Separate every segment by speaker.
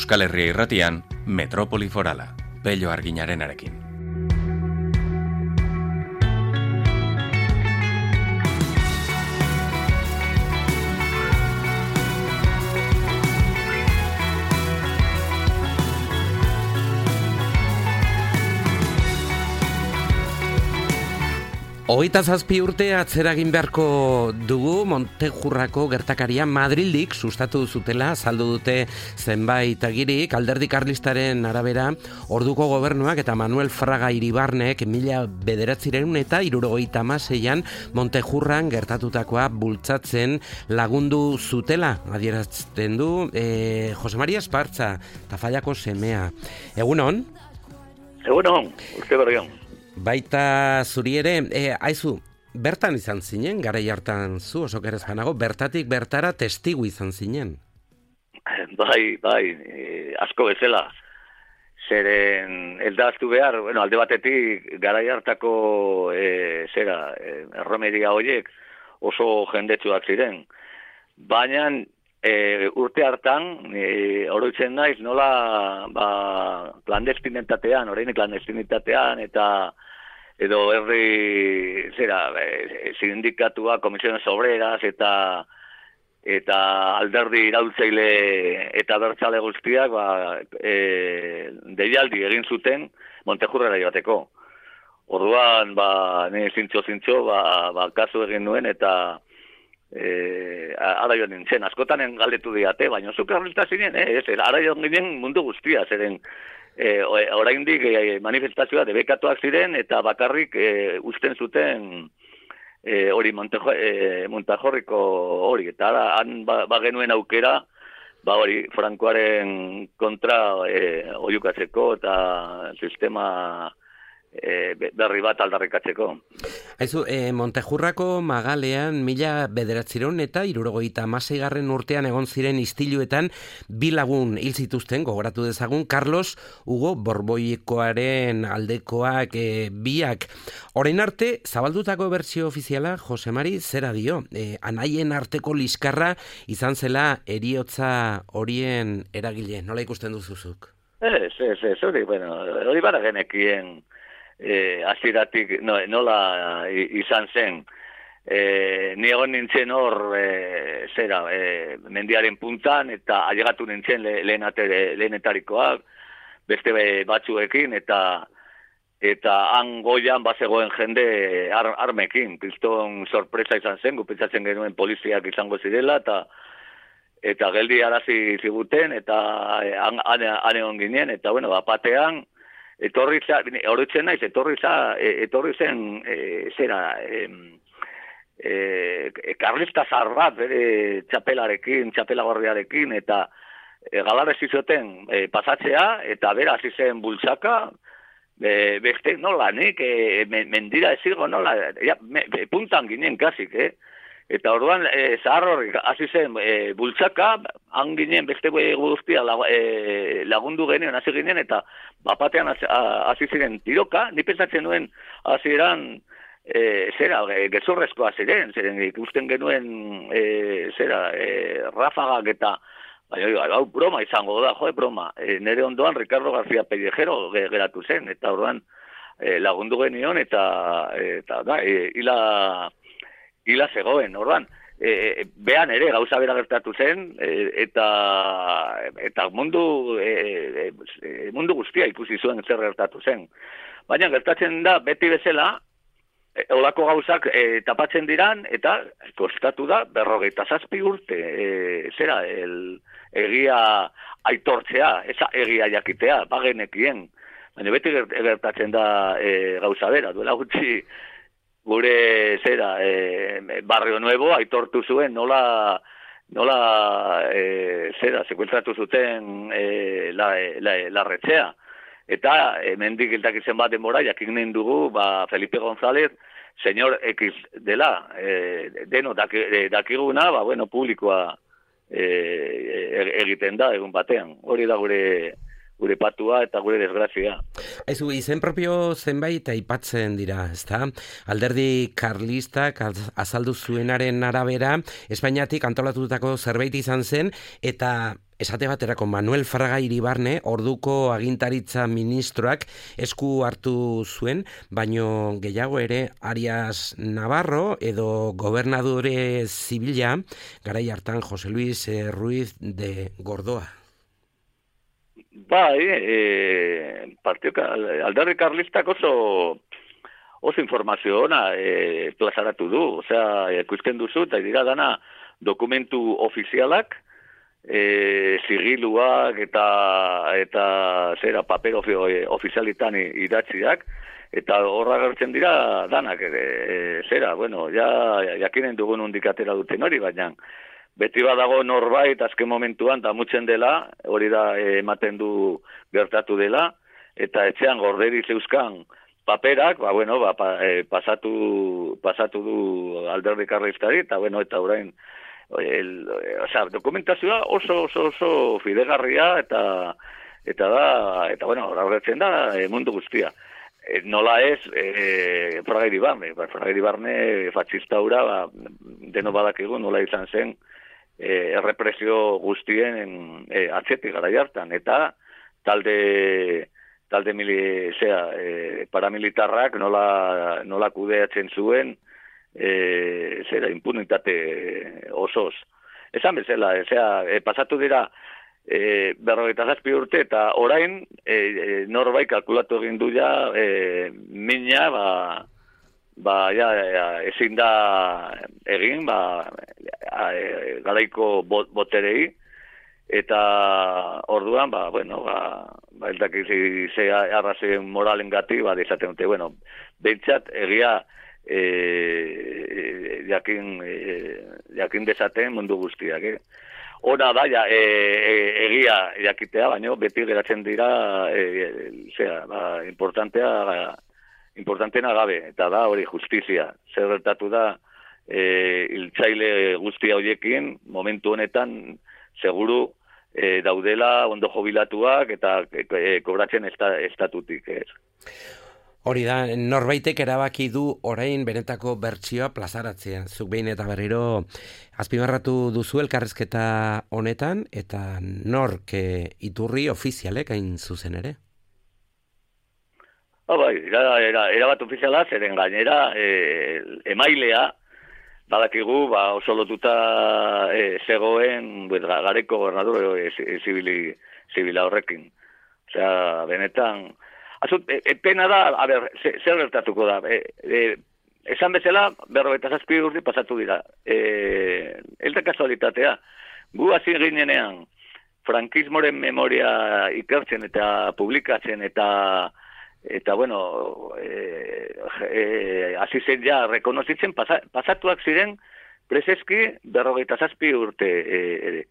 Speaker 1: Euskal Herria Irratian, Metropoli Forala, Pello Arguinarenarekin.
Speaker 2: Hogeita zazpi urte atzera egin beharko dugu Montejurrako gertakaria Madrildik sustatu zutela azaldu dute zenbait agirik. Alderdi Karlistaren arabera, orduko gobernuak eta Manuel Fraga Iribarnek 1976an Montejurran gertatutakoa bultzatzen lagundu zutela, adierazten du Jose Maria Espartza, Tafallako semea. Egunon?
Speaker 3: Egunon, urte berrion.
Speaker 2: Baita zuri ere, aizu, bertan izan zinen, garai hartan zu, oso kerez janago, bertatik bertara testigu izan zinen.
Speaker 3: Bai, asko bezala. Zeren, eldaztu behar, alde batetik, garai hartako, erromeria horiek oso jendetsuak ziren. Baina, urte hartan, oroitzen naiz, nola, klandestinitatean, edo herri sindikatua, komisiones obreras eta alderdi iraultzaile eta bertzale guztiak deialdi egin zuten Montejurrera joateko. Orduan, ni zintxo, kasu egin nuen eta ara joan nintzen, askotan galdetu diate, baina zuk arrelta zinen, ara joan ginen mundu guztia, zeren oraindik manifestazioa debekatuak ziren eta bakarrik usten zuten hori Montejorriko hori, eta han bagenuen aukera hori Frankoaren kontra oiukatzeko eta sistema berri bat aldarrikatzeko.
Speaker 2: Aizu, Montejurrako magalean 1976 urtean egon ziren istiluetan bi lagun hil zituzten, gogoratu dezagun, Carlos Hugo Borboikoaren aldekoak biak. Orain arte, zabaldutako bertsio ofiziala, Jose Mari, zera dio? Anaien arteko liskarra izan zela heriotza horien eragile. Nola ikusten duzuzuk?
Speaker 3: Hori bara genekien hasieratik nola izan zen. Ni egon nintzen hor mendiaren puntan eta ailegatu nintzen lehenetarikoak beste batzuekin eta han goian bazegoen jende armekin. Kriston sorpresa izan zen, gupitzatzen genuen poliziak izango zirela eta geldi arazi ziguten eta han egon ginen eta batean etorri zen karlista zahar bat bere txapelagorriarekin eta galarrezi zuten pasatzea eta bera hasi zen bultzaka beste nola nik mendira ezigo nola puntan ginen kasik eta orduan zahar horrik hasi zen bultzaka han ginen beste guztia lagundu genuen hasi ginen eta bapatean hasi ziren tiroka, ni pentsatzen nuen hasieran gezurrezkoa ziren ikusten genuen rafagak eta hau broma izango da, broma. Nere ondoan Ricardo García Pellejero geratu zen eta orduan lagundu genion eta hila zegoen, orduan. Behan ere gauza bera gertatu zen eta mundu guztia ikusi zuen zer gertatu zen. Baina gertatzen da beti bezala olako gauzak tapatzen diran eta kostatu da 57 urte egia aitortzea, eza egia jakitea, bagenekien. Baina beti gertatzen da gauza bera, duela gutxi gure Barrio Nuevo aitortu zuen nola sekuentratu zuten larretzea. Eta mendik hiltakitzen bat denbora jakinen dugu Felipe González señor X dela. Deno dakiguna, publikoa egiten da egun batean. Hori da gure gure patua eta gure desgrazia.
Speaker 2: Ezu, izen propio zenbait aipatzen dira, ezta? Alderdi karlistak azaldu zuenaren arabera, Espainiatik antolatutako zerbait izan zen, eta esate baterako Manuel Fraga Iribarne, orduko agintaritza ministroak esku hartu zuen, baino gehiago ere Arias Navarro edo gobernadore zibila, garai hartan Jose Luis Ruiz de Gordoa.
Speaker 3: Bai, alderdi karlistak oso informazio ona plazaratu du, osea, ikusten duzu, eta dira dana dokumentu ofizialak, sigiluak eta zera paper ofizialitan idatziak, eta horra gertzen dira danak, zera, bueno, jakinen dugun hundik atera duten hori, baina beti badago norbait azken momentuan damutzen dela, hori da ematen du gertatu dela, eta etxean gorderi zeuzkan paperak, pasatu du alderdi karlistari, eta eta orain dokumentazioa oso fidegarria eta horretzen da mundu guztia. Nola ez Fraga Iribarne fatxista hura, deno badakigu nola izan zen errepresio guztien atzetik gara jartan, eta talde paramilitarrak nola kudeatzen zuen impunitate osoz. Esan bezala, pasatu dira 57 urte, eta orain norbait kalkulatu egin du ja mina ezin da egin garaiko boterei, eta orduan ez dakit ze arrazien moralengatik izaten dute, behintzat egia jakin dezaten mundu guztiak. Ona da, egia jakitea, baina beti geratzen dira importanteena gabe, eta da hori justizia. Zer gertatu da hiltzaile guztia horiekin, momentu honetan seguru daudela ondo jubilatuak eta kobratzen estatutik.
Speaker 2: Hori da, norbaitek erabaki du orain benetako bertsioa plazaratzea. Zuk behin eta berriro azpimarratu duzu elkarrizketa honetan, eta nork iturri ofizialek hain zuzen ere?
Speaker 3: Erabat ofiziala, zeren gainera emailea, badakigu oso lotuta zegoen gareko gobernador zibila horrekin. Osea, benetan... Pena da, zer gertatuko da. Esan bezala, 57 urte pasatu dira. Ez da kasualitatea. Gu hasi ginenean, frankismoren memoria ikertzen eta publikatzen eta hasi zen ja rekonozitzen, pasatuak ziren preseski 57 urte ere.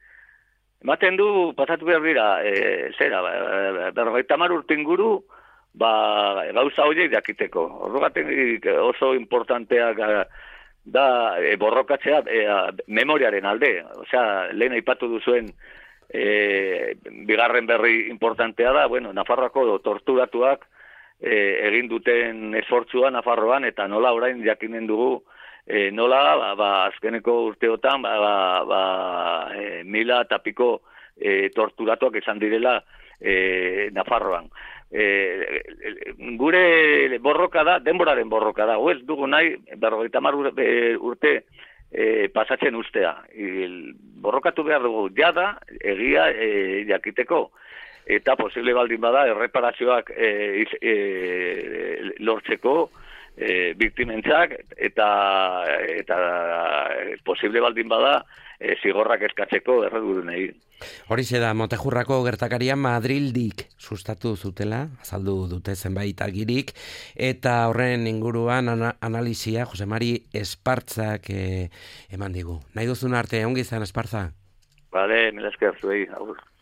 Speaker 3: Ematen du, pasatu behar dira, 50 urte inguru, gauza horiek jakiteko. Horregatik oso importanteak da borrokatzea memoriaren alde. Osea, lehen aipatu duzuen bigarren berri importantea da, Nafarroako torturatuak egin duten esfortzua Nafarroan, eta nola orain jakinen dugu nola azkeneko urteotan 1000 eta piko torturatuak izan direla Nafarroan. Gure borroka da, denboraren borroka da, ez dugu nahi 50 urte pasatzen ustea. Borrokatu behar dugu jada, egia jakiteko, eta posible baldin bada erreparazioak lortzeko biktimentzak, eta posible baldin bada zigorrak eskatzeko erredurunei.
Speaker 2: Horixe da, Montejurrako gertakaria Madrildik sustatu zutela, azaldu dute zenbait agirik, eta horren inguruan analisia Jose Mari Espartzak eman digu. Nahi duzun arte, ongi izan Espartza?
Speaker 3: Bale, mila esker zuei, agur.